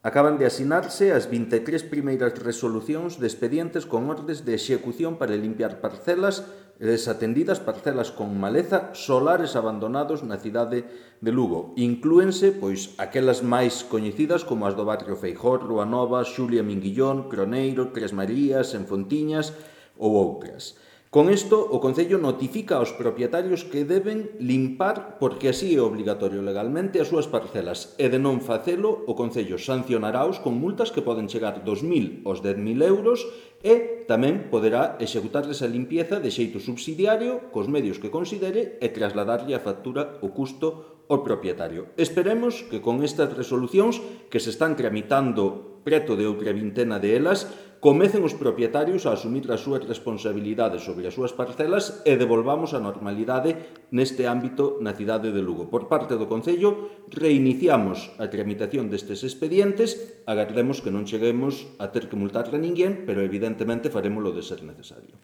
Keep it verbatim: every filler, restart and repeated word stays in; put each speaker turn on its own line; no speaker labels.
Acaban de asinarse as vinte e tres primeiras resolucións de expedientes con ordes de execución para limpiar parcelas desatendidas, parcelas con maleza, solares abandonados na cidade de Lugo. Inclúense, pois, aquelas máis coñecidas como as do barrio Feijó, Rúa Nova, Xulia Minguillón, Croneiro, Tres Marías, En Fontiñas ou outras. Con isto, o Concello notifica aos propietarios que deben limpar, porque así é obrigatorio legalmente, as súas parcelas, e de non facelo, o Concello sancionaraos con multas que poden chegar dos mil aos dez mil euros e tamén poderá executarles a limpieza de xeito subsidiario, cos medios que considere, e trasladarlle a factura o custo ao propietario. Esperemos que con estas resolucións, que se están tramitando preto de outra vintena de elas, comecen os propietarios a asumir as súas responsabilidades sobre as súas parcelas e devolvamos a normalidade neste ámbito na cidade de Lugo. Por parte do Concello, reiniciamos a tramitación destes expedientes, agardemos que non cheguemos a ter que multar a ninguén, pero evidentemente farémolo de ser necesario.